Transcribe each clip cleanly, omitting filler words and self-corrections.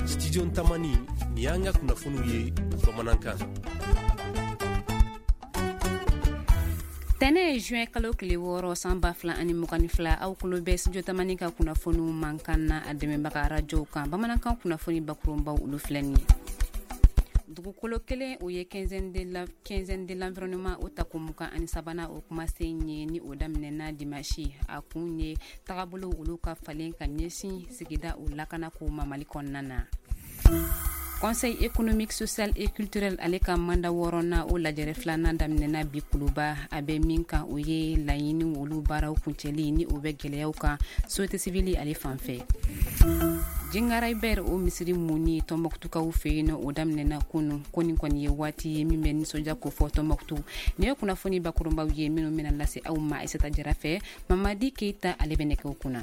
Studio Tamani, nin y'an ka kunnafoniw ye bamanankan. Tɛnɛ ye juin kalo tile 6 san 2022, aw kulo bɛ Studio Tamani ka kunnafoniw mankan na a dɛmɛbaga arajow kan. Bamanankan kunnafoni bakurunbaw, olu filɛ nin ye. Dugukolo kelen, o ye quinzaine de l'environnement o tako 23nan o kumasen ye, ni o daminɛna dimanche. A kun ye tagabolo olu ka falen ka ɲɛsin sigida o lakana ko ma Mali kɔnɔna na. Conseil économique, social et culturel, ale ka mandat wɔɔrɔnan o lajɛrɛ filanan daminɛna bi Kuluba. A bɛ min kan, o ye laɲini olu baaraw kuncɛli ni o bɛ gɛlɛyaw kan société civile ale fan fɛ. Jingarayibɛr o misiri munni Tɔnbɔkutukaw fɛ yen nɔ, o daminɛna kunu. Ko nin kɔni ye waati ye min bɛ nisɔndiya kofɔ Tɔnbɔkutu. Nin ye kunnafoni bakurunbaw ye minnu bɛna lase aw ma Aisata Jara fɛ. Mamadi Keyita, ale bɛ nɛgɛw kunna.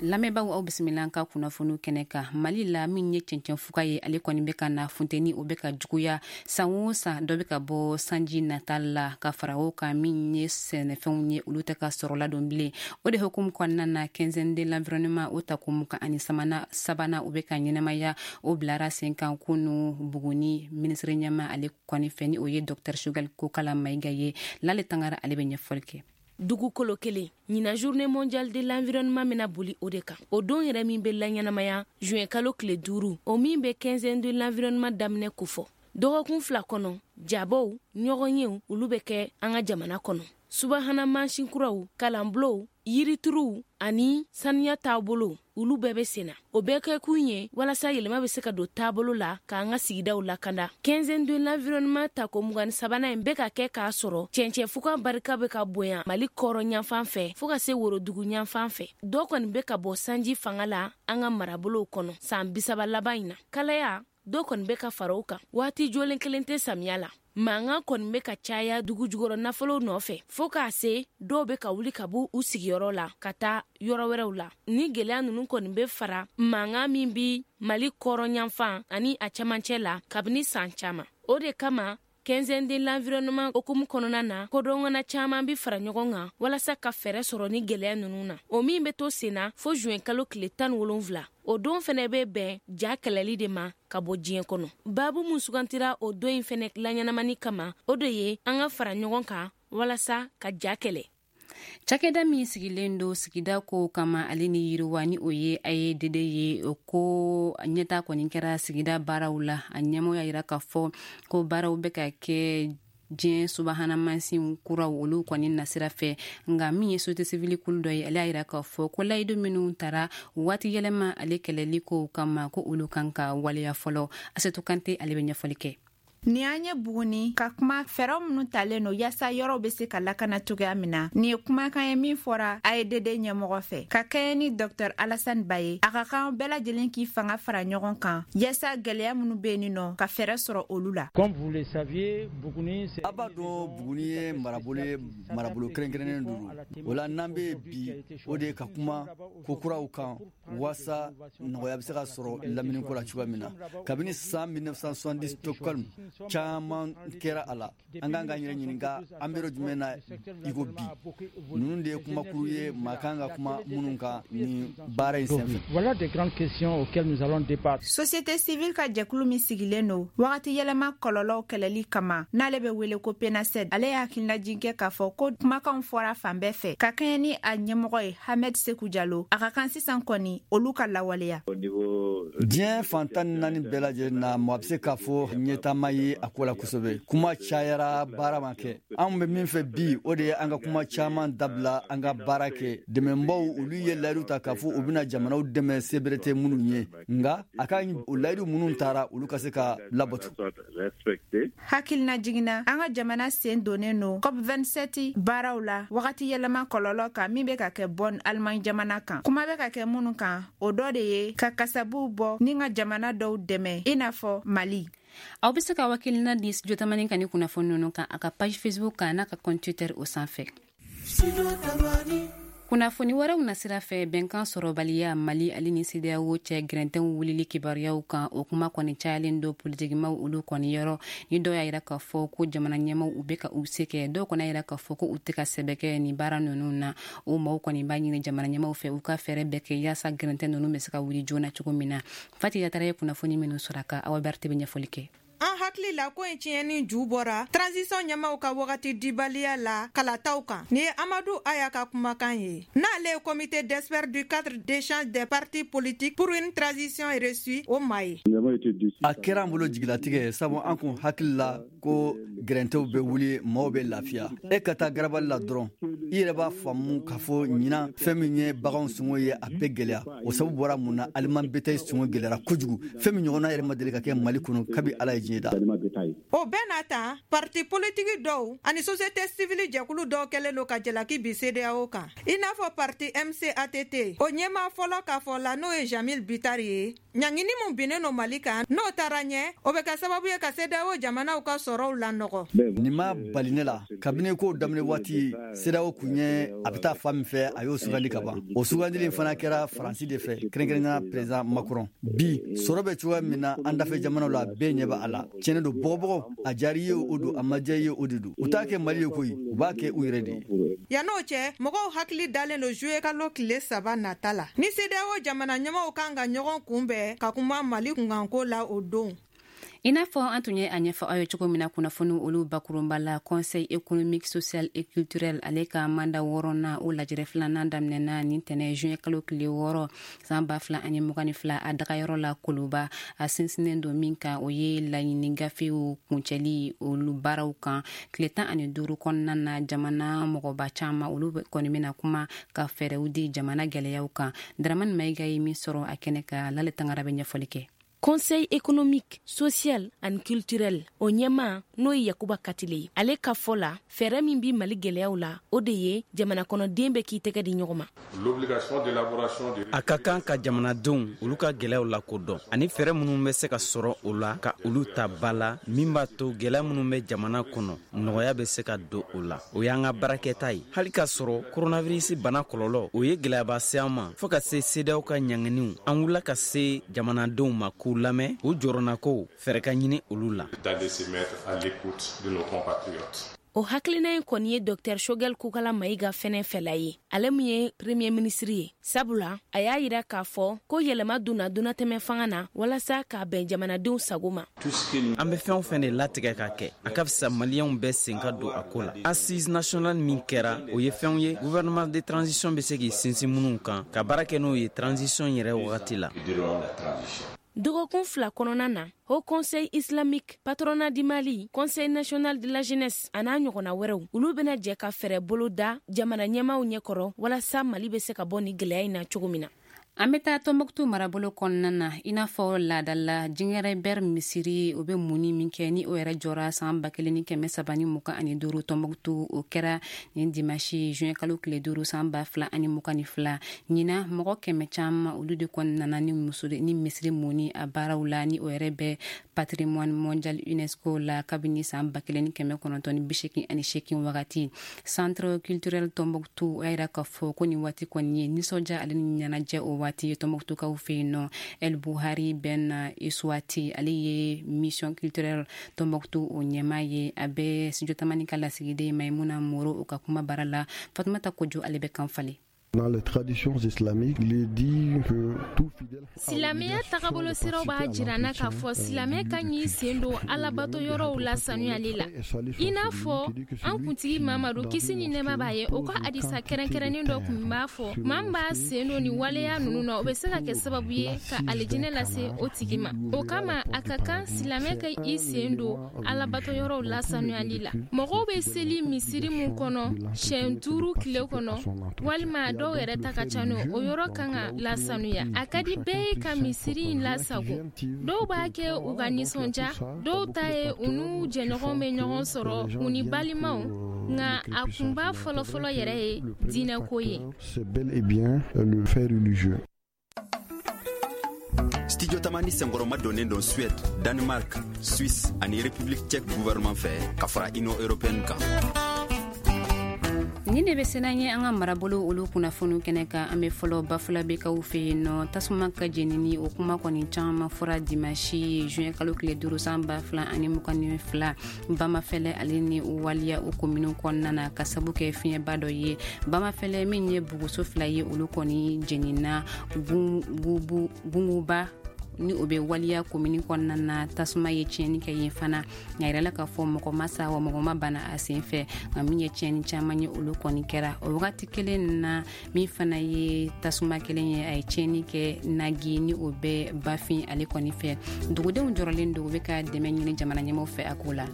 Lamɛnbaaw, aw bisimila an ka kunnafoniw kɛnɛ kan. Mali la, min ye cɛncɛn fuga ye, ale kɔni bɛ ka na, funteni o bɛ ka juguya san o san, dɔ bɛ ka bɔ sanji nata la. Ka fara o kan, min ye sɛnɛfɛnw ye, olu tɛ ka sɔrɔ ladon bilen. O de hukumu kɔnɔna na, quinzaine de l'environnement o tako 23nan o bɛ ka ɲɛnamaya, o bilara sen kan kunu Buguni minisiri ɲɛma ale kɔni fɛ, ni o ye Dr Choguel Kokala Mayiga ye. Lale Tangara, ale bɛ ɲɛfɔli kɛ. Dugukolo kelen, ɲinan Journée mondiale de l'environnement bɛna boli o de kan. O don yɛrɛ min bɛ laɲɛnamaya juin kalo tile 5, o min bɛ quinzaine de l'environnement daminɛ kofɔ. Dɔgɔkun 2 kɔnɔ, jabaw, ɲɔgɔnyew, olu bɛ kɛ an ka jamana kɔnɔ. Subahana mansin kuraw, kalanbulonw, yirituruw ani saniya taabolo, olu bɛɛ bɛ senna. O bɛɛ kɛkun ye walasa yɛlɛma bɛ se ka don taabolo la k'an ka sigidaw lakanda. Quinzaine de l'environnement tako 23nan in bɛ ka kɛ k'a sɔrɔ cɛncɛn fuga barika bɛ ka bonya Mali kɔrɔn yanfan fɛ fɔɔ ka se worodugu yanfan fɛ. Dɔ kɔni bɛ ka bɔ sanji fanga la an ka marabolow kɔnɔ san 30 laban in na. Kalaya dɔ kɔni bɛ ka fara o kan, waati jɔlen kelen tɛ samiya la. Mankan kɔni bɛ ka caya dugu jukɔrɔ nafolow nɔfɛ, fɔɔ k'a se dɔw bɛ ka wuli ka bɔ u sigiyɔrɔ la ka taa yɔrɔ wɛrɛw la. Ni gɛlɛya ninnu kɔni bɛ fara mankan min bi Mali kɔrɔn yanfan ani a camancɛ la kabini san caman. O de kama quinzaine de l'environnement hukumu kɔnɔna na, kodɔngana caman bi fara ɲɔgɔn kan walasa ka fɛɛrɛ sɔrɔ ni gɛlɛya ninnu na, o min bɛ to senna fo juin kalo tile 17. O don fɛnɛ bɛ bɛn ja kɛlɛli de ma ka bɔ diɲɛ kɔnɔ. Babu mun sugantira o don in fɛnɛ laɲɛnamani kama, o de ye an ka fara ɲɔgɔn kan walasa ka ja kɛlɛ. Cakɛda min sigilen don sigida kow kama ale ni yiriwa, ni o ye AEDD ye, ko ɲɛta kɔni kɛra sigida baaraw la. A ɲɛmɔgɔ y'a yira k'a fɔ ko baaraw bɛ ka kɛ diɲɛ subahana mansin kuraw olu kɔni nasira fɛ. Nka min ye société civile kulu dɔ ye, ale y'a yira k'a fɔ ko layidu minnu tara waati yɛlɛma ale kɛlɛli kow kama, ko olu kan ka waleya fɔlɔ. Asetu Kante, ale bɛ ɲɛfɔli kɛ. Ni an ye Buguni ka kuma, fɛɛrɛw minnu talen no yaasa yɔrɔw be se ka lakana cogoya min na, nin ye kumakan ye min fɔra AEDD ɲɛmɔgɔ fɛ ka kɛɲɛ ni Dr Alassane Ba ye. A ka kan bɛɛ lajɛlen k'i fanga fara ɲɔgɔn kan yaasa gwɛlɛya minnu be yen nɔ, ka fɛɛrɛ sɔrɔ olu la. A b'a dɔn, Buguni ye marabolo ye, marabolo kɛrɛnkɛrɛnnen don. O la, n'an bɛ bi, o de ye ka kuma ko kuraw kan waasa nɔgɔya bɛ se ka sɔrɔ laminiko la cogoya min na. Kabini san 1970, Stockholm, caman kɛra a la. An kan k'an yɛrɛ ɲininka, an bɛ yɔrɔ jumɛn na iko bi? Ninnu de ye kumakuru ye maa kan ka kuma minnu kan nin baara in senfɛ. Voilà des grandes questions auxquelles nous allons débattre. Société civile ka jɛkulu min sigilen don wagati yɛlɛma kɔlɔlɔw kɛlɛli kama, n'ale bɛ wele ko PENASED, ale ye hakililajigin kɛ k'a fɔ ko kumakanw fɔra fan bɛɛ fɛ. Ka kɛɲɛ ni a ɲɛmɔgɔ ye Hamed Seku Jalo, a ka kan sisan kɔni olu ka lawaleya. Diɲɛ fan 14 bɛɛ lajɛlen na, mɔgɔ bɛ se k'a fɔ ɲɛtaama ye a ko la kosɛbɛ. Kuma cayara, baara ma kɛ. Anw bɛ min fɛ bi, o de ye an ka kuma caman dabila, an ka baara kɛ. Dɛmɛbaw, olu ye layidu ta k'a fɔ u bɛna jamanaw dɛmɛ sebere tɛ minnu ye, nka a ka o layidu minnu taara, olu ka se ka labato. Hakilina jiginna, an ka jamana sen donnen no COP 27 baaraw la wagati yɛlɛma kɔlɔlɔ kan, min bɛ ka kɛ Bonn, Allemagne jamana kan. Kuma bɛ ka kɛ minnu kan, o dɔ de ye ka kasabuw bɔ ni ka jamana dɔw dɛmɛ, i n'a fɔ Mali. Aw bɛ se ka hakilina di Studio Tamani ka ni kunnafoni ninnu kan a ka page Facebook kan n'a ka compte Twitter o sanfɛ. Kunnafoni wɛrɛw nasira fɛ, bɛnkan sɔrɔbaliya Mali ale ni CEDEAO cɛ gɛrɛntɛw wulili kibaruyaw kan, o kuma kɔni cayalen don politikimaw olu kɔni yɔrɔ. Ni dɔw y'a yira k'a fɔ ko jamana ɲɛmaw u bɛ ka u se kɛ, dɔw kɔni y'a yira k'a fɔ ko u tɛ ka sɛbɛ kɛ nin baara ninnu na. O maaw kɔni b'a ɲini jamana ɲɛmaw fɛ u ka fɛɛrɛ bɛɛ kɛ yaasa gɛrɛntɛ ninnu bɛ se ka wuli joona cogo min na. Fati Yatara ye kunnafoni minnu sɔrɔ a kan, Awa Berete bɛ ɲɛfɔli kɛ. An hakili la ko in tiɲɛni ju bɔra transition ɲɛmaw ka wagati dibaliya la kalataw kan. Nin ye Amadu Aya ka kumakan ye, n'ale ye comité d'experts du cadre d'échange des partis politiques pour une transition réussie o maa ye. A kɛra an bolo jigilatigɛ, sabu an kun hakili la ko gɛrɛntɛw bɛ wuli, maaw bɛ lafiya. E ka taa garabali la dɔrɔn, i yɛrɛ b'a faamu k'a fɔ ɲinan, fɛn min ye baganw sɔngɔ ye, a bɛɛ gɛlɛya. O sababu bɔra mun na? Aliment bétail sɔngɔ gɛlɛyara kojugu, fɛn min ɲɔgɔnna yɛrɛ ma deli ka kɛ Mali kɔnɔ kabi Ala ye diɲɛ da. O bɛɛ n'a ta, parti politiki dɔw ani société civile jɛkulu dɔw kɛlen don ka jalaki bi CEDEAO kan, i n'a fɔ parti MCATT o ɲɛmaa fɔlɔ k'a fɔ la, n'o ye Jamil Bitari ye. Ɲangini mun binnen no Mali kan, n'o taara ɲɛ, o bɛ kɛ sababu ye ka CEDEAO jamanaw ka sɔrɔw lanɔgɔ. Nin ma bali ne la. Kabini kow daminɛ waati, CEDEAO kun ye a bɛ taa fan min fɛ, a y'o sugandi ka ban. O sugandili fana kɛra Faransi de fɛ, kɛrɛnkɛrɛnnenya président Macron. Bi sɔrɔ bɛ cogoya min na an dafɛ jamanaw la, bɛɛ ɲɛ bɛ a la. Tiɲɛ don, bɔgɔbɔgɔ a diyara i ye o don, a ma diya i ye o de don. U t'a kɛ Mali ye koyi, u b'a kɛ u yɛrɛ de ye. Yann'o cɛ, mɔgɔw hakili dalen don juillet kalo tile 3 nata la, ni CEDEAO jamana ɲɛmaaw kan ka ɲɔgɔn kunbɛn ka kuma Mali kunkanko la o don. I n'a fɔ an tun ye a ɲɛfɔ aw ye cogo min na kunnafoni olu bakurunba la, Conseil économique, social et culturel ale ka mandat wɔɔrɔnan, o lajɛrɛ filanan daminɛna nin tɛnɛ juin kalo tile 6 san 2022 a dagayɔrɔ la Koloba. A sinsinnen don min kan, o ye laɲini gafew kuncɛli olu baaraw kan. Tile 15 kɔnɔna na, jamana mɔgɔba caman olu kɔni bɛna kuma ka fɛɛrɛw di jamana gɛlɛyaw kan. Dramani Mayiga ye min sɔrɔ a kɛnɛ kan, Lale Tangara bɛ ɲɛfɔli kɛ. Conseil économique, social and culturel o ɲɛma, n'o ye Yakuba Katile ye, ale ka fɔ la, fɛɛrɛ min bi Mali gɛlɛyaw la, o de ye jamana kɔnɔden bɛ k'i tɛgɛ di ɲɔgɔn ma. A ka kan ka jamanadenw olu ka gɛlɛyaw lakodɔn ani fɛɛrɛ minnu bɛ se ka sɔrɔ o la ka olu ta ba la, min b'a to gɛlɛya minnu bɛ jamana kɔnɔ, nɔgɔya bɛ se ka don o la. O y'an ka baarakɛta ye. Hali k'a sɔrɔ koronavirisi bana kɔlɔlɔ o ye gɛlɛyaba se an ma, fɔɔ ka se CEDEAO ka ɲanginiw, an wulila ka se jamanadenw ma k'u lamɛn, u jɔrɔnakow fɛɛrɛ ka ɲini olu la. O hakilina in kɔni ye Dr Shogel Kokala Mayiga fɛnɛ fɛla ye, ale min ye premier ministre ye, sabula a y'a yira k'a fɔ ko yɛlɛma donna donnatɛmɛ fanga na walasa k'a bɛn jamanadenw sago ma. An bɛ fɛn o fɛn de latigɛ ka kɛ, a ka fisa Maliyɛnw bɛɛ sen ka don a ko la. Assise nationale min kɛra, o ye fɛnw ye gouvernement de transition bɛ se k'i sinsin minnu kan ka baara kɛ n'o ye transition yɛrɛ wagati la. Dɔgɔkun 2 kɔnɔna na, Haut Conseil islamique, patronat du Mali, Conseil national de la jeunesse a n'a ɲɔgɔnna wɛrɛw, olu bɛna jɛ ka fɛɛrɛ bolo da jamana ɲɛmaaw ɲɛkɔrɔ walasa Mali bɛ se ka bɔ ni gɛlɛya in na cogo min na. An bɛ taa Tɔnbɔkutu marabolo kɔnɔna na. I n'a fɔ laadala Jingereber misiri, o bɛ munni min kɛ, ni o yɛrɛ jɔra san 1325 Tɔnbɔkutu, o kɛra nin dimanche juin kalo tile 5 san 2022. Ɲinan, mɔgɔ 100 caman olu de kɔni nana ni muso ni misiri munni a baaraw la, ni o yɛrɛ bɛ patrimoine mondial UNESCO la kabini san 1988 wagati. Centre culturel Tɔnbɔkutu, o y'a yira k'a fɔ ko nin waati kɔni ye nisɔndiya ale ni ɲɛnajɛ o waati ye Tɔnbɔkutukaw fɛ yen nɔ. El Buhari Ben Iswati, ale ye mission culturelle Tɔnbɔkutu o ɲɛmaa ye. A bɛ Studio Tamani ka lasigiden Maimuna Moro o ka kuma baara la. Fatumata Kojo, ale bɛ kan falen. Dans les traditions islamiques, il est dit que tout fidèle. Silamɛya tagabolo siraw b'a jira na k'a fɔ silamɛ ka ɲi sen don alabato yɔrɔw la sanuyali la. I n'a fɔ an kuntigi Mamadu, kisi ni nɛɛma b'a ye, o ka hadisa kɛrɛnkɛrɛnnen dɔ kun b'a fɔ maa min b'a sen don nin waleya ninnu na, o bɛ se ka kɛ sababu ye ka alijinɛ lase o tigi ma. O kama, a ka kan silamɛ ka i sen don alabato yɔrɔw la sanuyali la. Mɔgɔw bɛ seli misiri mun kɔnɔ siɲɛ 5 tile kɔnɔ, walima dɔw yɛrɛ ta ka ca n'o, o yɔrɔ kan ka lasanuya. A ka di bɛɛ ye ka misiri in lasago. Dɔw b'a kɛ u ka nisɔndiya, dɔw ta ye u n'u jɛɲɔgɔnw bɛ ɲɔgɔn sɔrɔ, u ni balimaw, nka a kunba fɔlɔfɔlɔ yɛrɛ ye diinɛko ye. C'est bel et bien le fait religieux. Studio Tamani senkɔrɔma donnen don Suède, Danemark, Suisse ani République tchèque gouvernement fɛ ka fara Union européenne kan. Ni de bɛ sena ye an ka marabolo olu kunnafoniw kɛnɛ kan. An bɛ fɔlɔ Bafulabekaw fɛ yen nɔ. Tasuma ka jenini, o kuma kɔni caman fɔra dimanche juin kalo tile 5 san 2022, Bamafɛlɛ ale ni Waliya o kominiw kɔnɔna na, ka sabu kɛ fiɲɛba dɔ ye Bamafɛlɛ. Min ye buguso fila ye, olu kɔni jenina. Gunguba ni o bɛ Waliya komini kɔnɔna na, tasuma ye tiɲɛni kɛ yen fana. Nka yɛrɛ la k'a fɔ mɔgɔ ma sa, wa mɔgɔ ma bana a sen fɛ, nka min ye tiɲɛni caman ye, olu kɔni kɛra o wagati kelen na. Min fana ye tasuma kelen ye, a ye tiɲɛni kɛ Nagi ni o bɛ Bafin ale kɔni fɛ. Dugudenw jɔrɔlen don, u bɛ ka dɛmɛ ɲini jamana ɲɛmɔgɔw fɛ a ko la.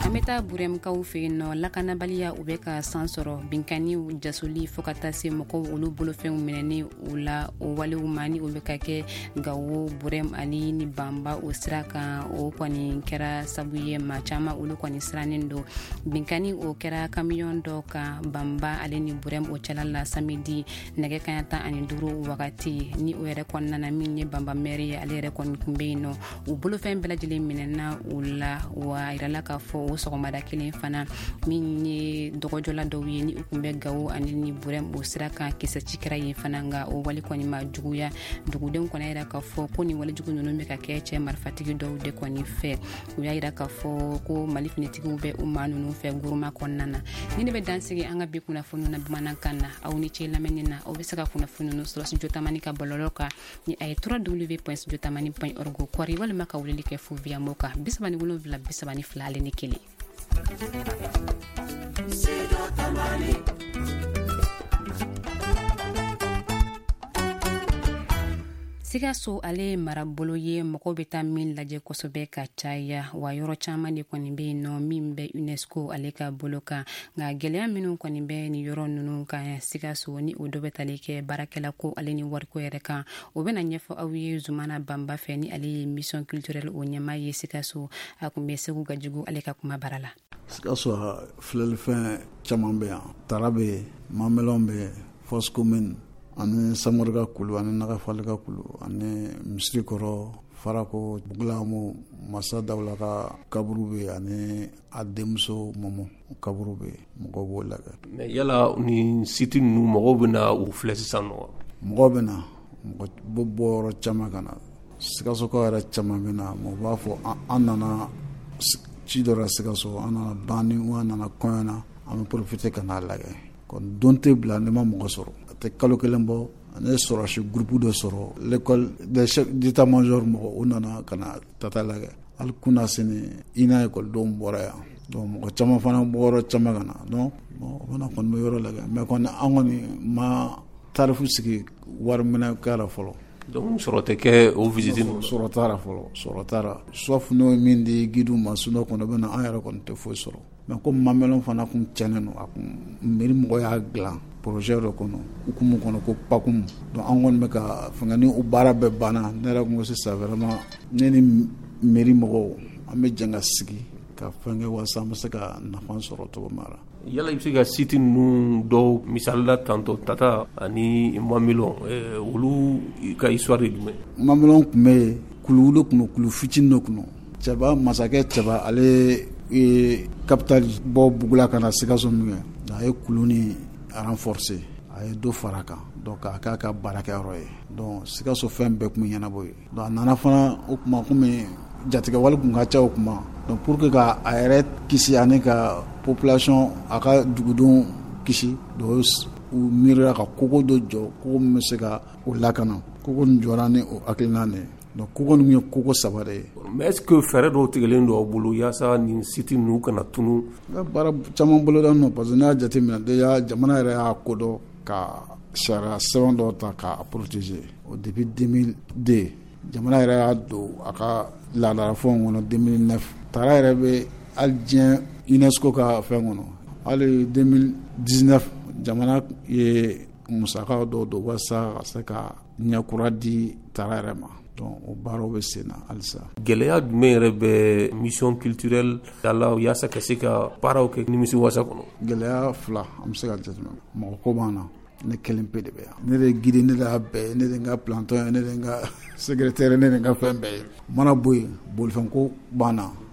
An bɛ taa Burɛmukaw fɛ yen nɔ. Lakanabaliya u bɛ ka san sɔrɔ, binkanniw, jasoli, fo ka taa se mɔgɔw olu bolofɛnw minɛni u la. O walew ma ni o bɛ ka kɛ Gawo, Burɛm ani ni Banba o sira kan, o kɔni kɛra sabu ye maa caman olu kɔni sirannen don. Binkanni o kɛra kamiyɔn dɔ kan Banba ale ni Burɛm o cɛla la samedi nɛgɛ kaɲa 15 wagati. Ni o yɛrɛ kɔnɔna na, min ye Banba mɛri ye, ale yɛrɛ kɔni kun bɛ yen nɔ. U bolofɛn bɛɛ lajɛlen minɛna u la. Wa a yirala k'a fɔ o sɔgɔmada kelen fana, min ye dɔgɔjɔla dɔw ye ni u kun bɛ Gawo ani ni Burɛm o sira kan, kisɛ ci kɛra yen fana, nka o wale kɔni ma juguya. Dugudenw kɔni yira k'a fɔ ko nin walejugu ninnu bɛ ka kɛ cɛ marifatigi dɔw de kɔni fɛ. U y'a yira k'a fɔ ko Mali finitigiw bɛ u maa ninnu fɛ guruma kɔnɔna na. Ni ne bɛ dansigi an ka bi kunnafoniw na bamanankan na. Aw ni ce lamɛnni na. Aw bɛ se ka kunnafoni ninnu sɔrɔ Studio Tamani ka bɔlɔlɔ kan ni a ye www.studiotamani.org kɔri, walima ka weleli kɛ fo via mo kan 37 32 ale ni 1. Studio Tamani. Sikaso ale ye marabolo ye mɔgɔw bɛ taa min lajɛ kosɛbɛ ka caya, wa yɔrɔ caman de kɔni bɛ yen nɔ min bɛ UNESCO ale ka bolo kan. Nka gɛlɛya minnu kɔni bɛ nin yɔrɔ ninnu kan Sikaso, ni o dɔ bɛ tali kɛ baarakɛla ko ale ni wariko yɛrɛ kan, o bɛna ɲɛfɔ aw ye Zumana Banba fɛ, ni ale ye mission culturelle o ɲɛmaa ye Sikaso. A kun bɛ Segu Gajugu ale ka kuma bara la. Sikaso filɛlifɛn caman bɛ yan. Tara bɛ yen, Mamelɔn bɛ yen, fosse commune ani Samori ka kulu ani Nagafali ka kulu ani misiri kɔrɔ, Farako, Bugulamu, Masa Dawula ka kaburu bɛ yen ani a denmuso Mɔmɔ kaburu bɛ yen, mɔgɔw b'o lajɛ. Mais yala nin site ninnu, mɔgɔw bɛ na u filɛ sisan nɔ? Mɔgɔw bɛ na, mɔgɔ bɛ bɔ yɔrɔ caman ka na. Sikasokaw yɛrɛ caman bɛ na. Mɔgɔ b'a fɔ an nana ci dɔ la Sikaso, an nana banni, an nana kɔɲɔ na, an bɛ profiter ka n'a lajɛ. Kɔni don tɛ bila ne ma mɔgɔ sɔrɔ. A tɛ kalo kelen bɔ, ne ye sɔrɔsi groupe dɔ sɔrɔ, l'école des chefs d'état-major mɔgɔ, u nana ka na tata lajɛ. Hali kunna sini INA ekɔlidenw bɔra yan. Donc mɔgɔ caman fana bɔ yɔrɔ caman ka na. Donc bon, o fana kɔni bɛ yɔrɔ lajɛ. Mais kɔni an kɔni ma tarifu sigi wari minɛ k'a la fɔlɔ. Donc sɔrɔ tɛ kɛ o visite ninnu? Sɔrɔ t'a la fɔlɔ, sɔrɔ t'a la. Sauf n'o ye min di guide ma, sinon kɔni bɛ na, an yɛrɛ kɔni tɛ foyi sɔrɔ. Mais ko Mamelɔn fana kun cɛnnen don, a kun mairie mɔgɔ y'a dilan projet dɔ kɔnɔ, hukumu kɔnɔ ko PACUM. Donc an kɔni bɛ ka fɛngɛ ni o baara bɛɛ banna, ne yɛrɛ kun ko sisan vraiment ne ni mairie mɔgɔw an bɛ jɛ ka sigi ka fɛn kɛ walasa an bɛ se ka nafa sɔrɔ cogo min na. Yala i bɛ se ka site ninnu dɔw misali la tantɔ, Tata ani Mamelɔn, olu ka histoire ye jumɛn? Mamelɔn tun bɛ yen, kuluw de tun don, kulu fitinin dɔ tun don. Cɛba, masakɛ Cɛba, ale ye capital bɔ Bugula ka na Sikaso min kɛ, a ye kulu ni renforcer, a ye dɔ fara a kan, donc a k'a ka baarakɛyɔrɔ ye. Donc Sikaso fɛn bɛɛ tun bɛ ɲɛnabɔ yen. Donc a nana fana o tuma komi jatigɛwale tun ka ca o tuma, donc pour que ka a yɛrɛ kisi ani ka population, a ka dugudenw kisi, donc u miirila ka kogo dɔ jɔ, kogo min bɛ se ka o lakana. Kogo nin jɔra ni o hakilina de ye. Donc kogo ninnu ye kogo saba de ye. Mais est-ce que fɛɛrɛ dɔw tigɛlen don aw bolo yaasa nin site ninnu kana tunu? Baara caman boloda nɔ, parce que n'i y'a jateminɛ déjà jamana yɛrɛ y'a kodɔn ka sariya sɛbɛn dɔw ta k'a protéger. O depuis 2002 jamana yɛrɛ y'a don a ka laadalafɛnw kɔnɔ 2009. Tara yɛrɛ bɛ hali diɲɛ UNESCO ka fɛn kɔnɔ. Hali 2019 jamana ye musakaw dɔw don walasa ka se ka ɲɛkura di Tara yɛrɛ ma. Donc o baaraw bɛ sen na halisa. Gɛlɛya jumɛn yɛrɛ bɛ mission culturelle la yaasa ka se ka baaraw kɛ nimisiwasa kɔnɔ? Gɛlɛya fila an bɛ se ka jateminɛ. Mɔgɔ ko b'an na, ne kelen pe de bɛ yan. Ne de ye guide, ne de y'a bɛɛ ye, ne de ye n ka planton ye, ne de ye n ka secrétaire, ne de ye n ka fɛn bɛɛ ye. Mana bɔ yen, bolifɛnko b'an na.